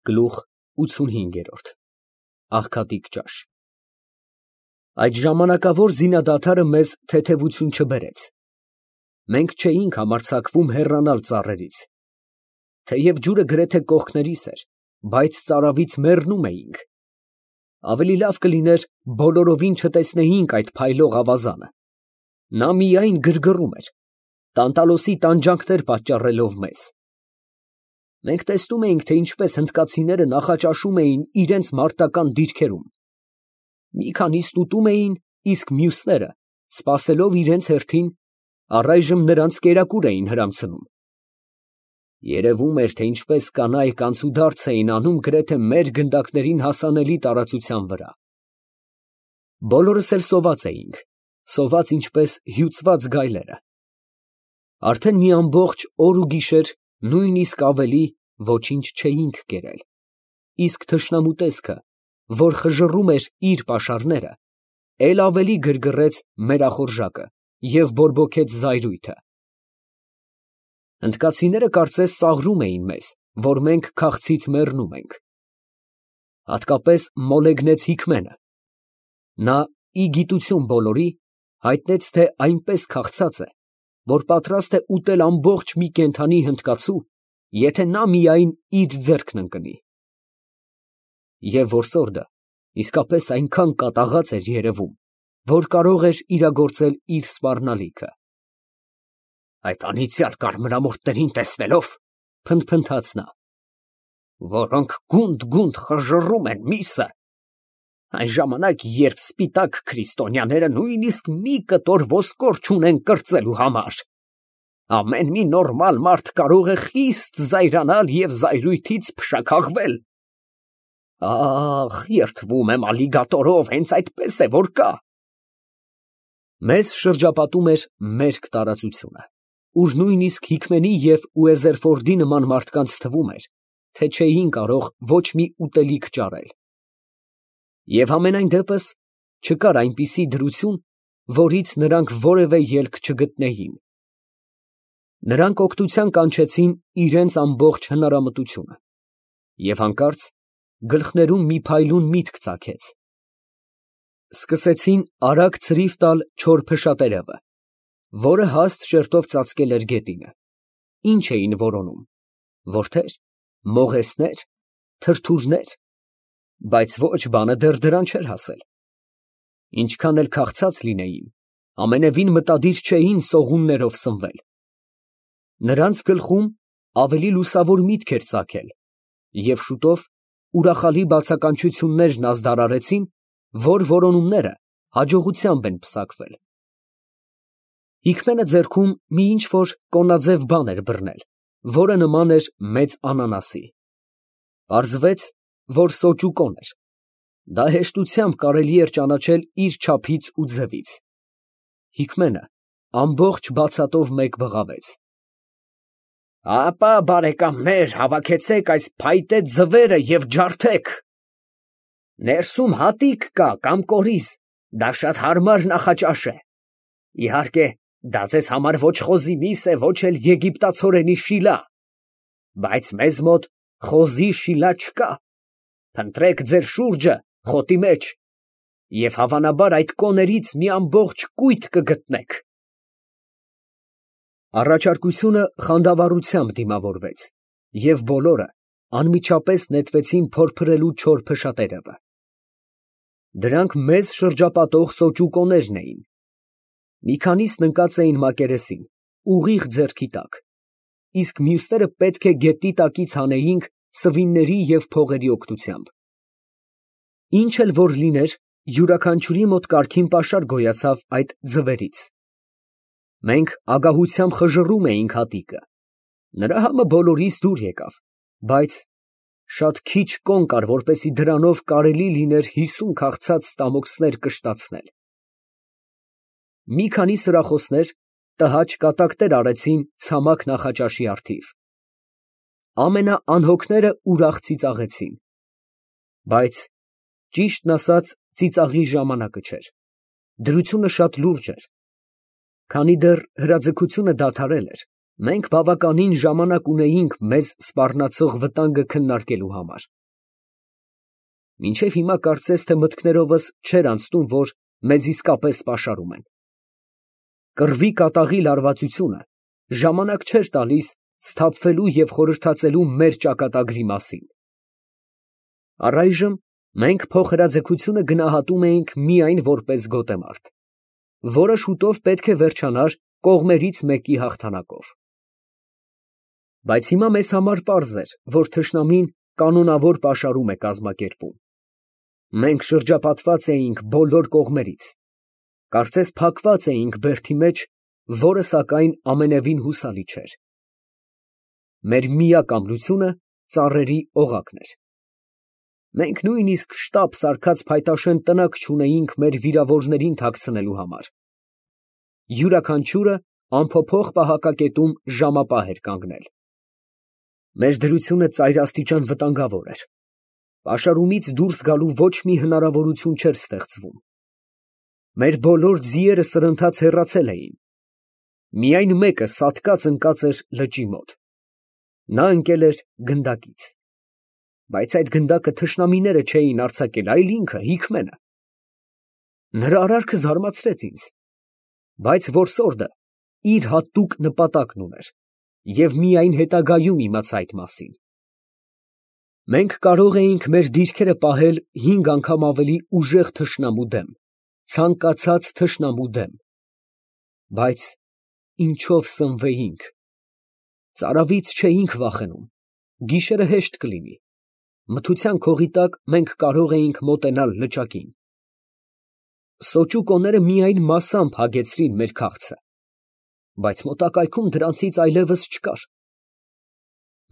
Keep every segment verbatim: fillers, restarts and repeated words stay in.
Գլուխ ութսունհինգ։ Աղքատիկ ճաշ։ Այդ ժամանակավոր զինադադարը մեզ թեթևություն չբերեց. մենք չէինք համարձակվում հեռանալ ծառերից. թեև ջուրը գրեթե կողքներիս էր, բայց ծարավից մեռնում էինք. ավելի լավ կլիներ բոլորովին չտեսնեինք այդ փայլող ավազանը. նա միայն գրգռում էր, տանտալոսի տանջանքներ պատճառելով մեզ. մենք տեսնում էինք, թե ինչպես հնդկացիները նախաճաշում էին իրենց մարտական դիրքերում. մի քանիսն ուտում էին, իսկ մյուսները, սպասելով իրենց հերթին, առայժմ նրանց կերակուր էին հրամցնում. երևում էր, թե ինչպես կանայք անցուդարձ էին անում գրեթե մեր գնդակներին հասանելի տարածության վրա. բոլորս էլ սոված էինք, սոված ինչպես հյուծված գայլերը. արդեն մի ամբողջ օր ու գիշեր, նույնիսկ ավելի, ոչինչ չէինք կերել, իսկ թշնամու տեսքը, որ խժռում էր իր պաշարները, էլ ավելի գրգռեց մեր ախորժակը և բորբոքեց զայրույթը. հնդկացիները կարծես ծաղրում էին մեզ, որ մենք քաղցից մեռնում ենք. հատկապես մոլեգնեց Հիկմենը. նա, ի գիտություն բոլորի, հայտնեց, թե այնպես քաղցած է, որ պատրաստ է ուտել ամբողջ մի կենդանի հնդկացու, եթե նա միայն իր ձեռքն ընկնի. և որսորդը իսկապես այնքան կատաղած էր երևում, որ կարող էր իրագործել իր սպառնալիքը։ «Այդ անիծյալ կարմրամորթներին տեսնելով, ֊ փնթփնթաց նա, ֊ որոնք գունդ֊գունդ խժռում են միսը, այն ժամանակ, երբ սպիտակ քրիստոնյաները նույնիսկ մի կտոր ոսկոր չունեն կրծելու համար, ամեն մի նորմալ մարդ կարող է խիստ զայրանալ և զայրույթից փշաքաղվել։ Ախ, երդվում եմ ալիգատորով, հենց այդպես է, որ կա»։ Մեզ շրջապատում էր մերկ տարածությունը, ուր նույնիսկ Հիկմենի և Ուեզերֆորդի նման մարդկանց թվում էր, թե չէին կարող ոչ մի ուտելիք ճարել. և համենայն դեպս չկար այնպիսի դրություն, որից նրանք որևէ ելք չգտնեին. նրանք օգնության կանչեցին իրենց ամբողջ հնարամտությունը, և հանկարծ գլխներում մի փայլուն միտք ծագեց. սկսեցին արագ ցրիվ տալ չոր փշատերևը, որը հաստ շերտով ծածկել էր գետինը. ինչ էին որոնում, որդե՞ր, մողեսնե՞ր, թրթուրնե՞ր, բայց ոչ բանը դեռ դրան չէր հասել. ինչքան էլ քաղցած լինեին, ամենևին մտադիր չէին սողուններով սնվել. նրանց գլխում ավելի լուսավոր միտք էր ծագել, և շուտով ուրախալի բացականչություններն ազդարարեցին, որ որոնումները հաջողությամբ են պսակվել։ Հիկմենը ձեռքում մի ինչ֊որ կոնաձև բան էր բռնել, որը նման էր մեծ անանասի. պարզվեց, որ սոճուկոն էր. դա հեշտությամբ կարելի էր ճանաչել իր չափից ու ձևից։ Հիկմենը ամբողջ բացատով մեկ բղավեց. «Ապա, բարեկամներ, հավաքեցեք այս փայտե ձվերը և ջարդեք. ներսում հատիկ կա կամ կորիզ, դա շատ հարմար նախաճաշ է. իհարկե, դա ձեզ համար ոչ խոզի միս է, ոչ էլ եգիպտացորենի շիլա, բայց մեզ մոտ խոզի շիլա չկա. փնտրեք ձեր շուրջը խոտի մեջ, և հավանաբար այդ կոներից մի ամբողջ կույտ կգտնեք»։ Առաջարկությունը խանդավառությամբ դիմավորվեց, և բոլորը անմիջապես նետվեցին փորփրելու չոր փշատերևը. դրանք մեզ շրջապատող սոճուկոներն էին. մի քանիսն ընկած էին մակերեսին, ուղիղ ձեռքի տակ, իսկ մյուսները պետք է գետնի տակից հանեինք սվինների և փողերի օգնությամբ։ Ինչ էլ որ լիներ, յուրաքանչյուրի մոտ կարգին պաշար գոյացավ այդ ձվերից. մենք ագահությամբ խժռում էինք հատիկը, նրա համը բոլորիս դուր եկավ, բայց շատ քիչ կոն կար, որպեսզի դրանով կարելի լիներ հիսուն քաղցած ստամոքսներ կշտացնել։ Մի քանի սրախոսներ տհաճ կատակներ արեցին ցամաք նախաճաշի առթիվ. ամենաանհոգները ուրախ ծիծաղեցին, բայց ճիշտն ասած ծիծաղի ժամանակը չէր, դրությունը շատ լուրջ էր. քանի դեռ հրաձգությունը դադարել էր, Մենք բավականին ժամանակ ունեինք մեզ սպառնացող վտանգը քննարկելու համար։ Մինչև հիմա կարծես թե մտքներովս չէր անցնում, որ մեզ իսկապես պաշարում են։ Կռվի կատաղի լարվածությունը ժամանակ չէր տալիս սթափվելու և խորհրդածելու մեր ճակատագրի մասին։ Առայժմ մենք փոխհրաձգությունը գնահատում էինք միայն որպես գոտեմարտ, որը շուտով պետք է վերջանար կողմերից մեկի հաղթանակով։ Բայց հիմա մեզ համար պարզ էր, որ թշնամին կանոնավոր պաշարում է կազմակերպում։ Մենք շրջապատված էինք բոլոր կողմերից, կարծես փակված էինք բերդի մեջ, որը սակայն ամենևին հուսալի չէր։ Մեր միակ ամրությունը ծառերի օղակն էր։ Մենք նույնիսկ շտապ սարքած փայտաշեն տնակ չունեինք մեր վիրավորներին թաքցնելու համար։ Յուրաքանչյուրը անփոփոխ պահակակետում ժամապահ էր կանգնել։ Մեր դրությունը ծայրաստիճան վտանգավոր էր։ Պաշարումից դուրս գալու ոչ մի հնարավորություն չէր ստեղծվում։ Մեր բոլոր ձիերը սրընթաց հեռացել էին։ Միայն մեկը սատկած ընկած էր լճի մոտ։ Նա ընկել էր գնդակից։ Բայց այդ գնդակը թշնամիները չէին արձակել, այլ ինքը Հիկմենը։ Նրա արարքը զարմացրեց ինձ, բայց որսորդը իր հատուկ նպատակն ուներ և միայն հետագայում իմացա այդ մասին։ Մենք կարող էինք մեր դիրքերը պահել հինգ անգամ ավելի ուժեղ թշնամու դեմ, ցանկացած թշնամու դեմ։ Բայց ինչով սնվեինք։ Ծարավից չէինք վախենում, գիշերը հեշտ կլինի, մթության քողի տակ մենք կարող էինք մոտենալ լճակին։ Սոճուկոները միայն մասամբ հագեցրին մեր քաղցը, բայց մոտակայքում դրանցից այլևս չկար։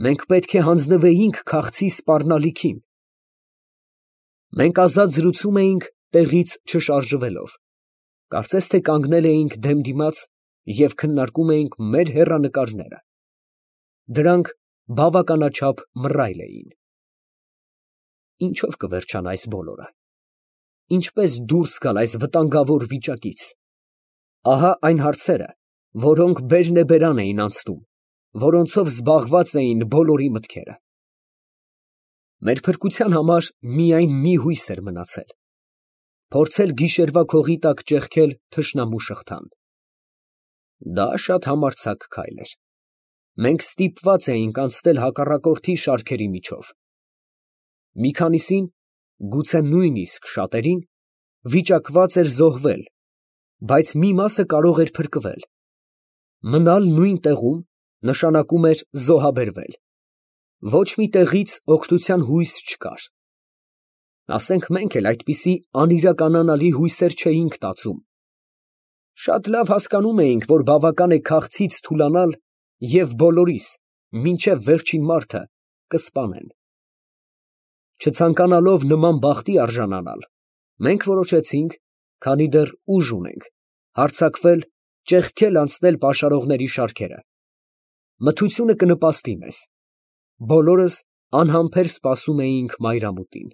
Մենք պետք է հանձնվեինք քաղցի սպառնալիքին։ Մենք ազատ զրուցում էինք տեղից չշարժվելով, կարծես թե կանգնել էինք դեմ դիմաց և քննարկում էինք մեր հեռանկարները։ Դրանք բավականաչափ մռայլ էին։ Ինչո՞վ կվերջանա այս բոլորը։ Ինչպես դուրս գալ այս վտանգավոր վիճակից։ Ահա այն հարցերը, որոնք բերնեբերան էին անցնում, որոնցով զբաղված էին բոլորի մտքերը։ Մեր փրկության համար միայն մի հույս էր մնացել. փորձել գիշերվա քողի տակ ճեղքել թշնամու շղթան։ Դա շատ համարձակ քայլ էր։ Մենք ստիպված էինք անցնել հակառակորդի շարքերի միջով։ Մի քանիսին, գուցե նույնիսկ շատերին, վիճակված էր զոհվել, բայց մի մասը կարող էր փրկվել։ Մնալ նույն տեղում նշանակում էր զոհաբերվել։ Ոչ մի տեղից օգնության հույս չկար։ Ասենք մենք էլ այդպիսի անիրականանալի հույսեր չէինք տածում։ Շատ լավ հասկանում էինք, որ բավական է քաղցից թուլանալ և բոլորիս, մինչև վերջին մարդը, կսպանեն։ Չցանկանալով նման բախտի արժանանալ, մենք որոշեցինք, քանի դեռ ուժ ունենք, հարձակվել, ճեղքել անցնել պաշարողների շարքերը։ Մթությունը կնպաստի մեզ։ Բոլորս անհամբեր սպասում էինք մայրամուտին։